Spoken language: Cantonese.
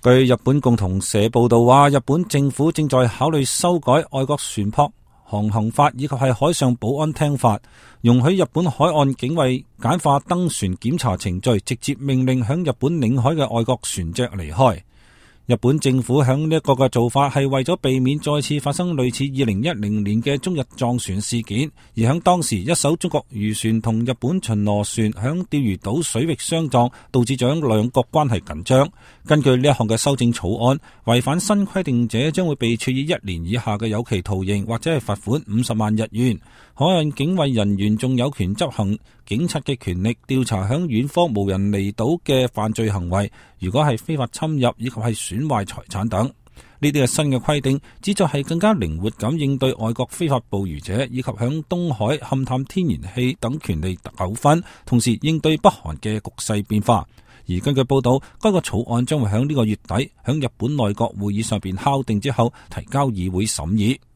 據日本共同社報道話，日本政府正在考慮修改外國船舶航行法以及係海上保安廳法，容許日本海岸警衛簡化登船檢查程序，直接命令響日本領海嘅外國船隻離開。日本政府響呢一個嘅做法係為咗避免再次發生類似2010年嘅中日撞船事件，而響當時一艘中國漁船同日本巡邏船響釣魚島水域相撞，導致咗兩國關係緊張。根據呢一項嘅修正草案，違反新規定者將會被處以1年以下嘅有期徒刑或者係罰款50萬日元。海岸警衛人員仲有權執行警察嘅權力，調查響遠方無人離島嘅犯罪行為，如果係非法侵入以及係損壞財產等。呢啲係新嘅規定，旨在係更加靈活咁應對外國非法捕魚者以及響東海勘探天然氣等權利糾紛，同時應對北韓嘅局勢變化。而根據報道，該個草案將會響呢個月底響日本內閣會議上邊敲定之後提交議會審議。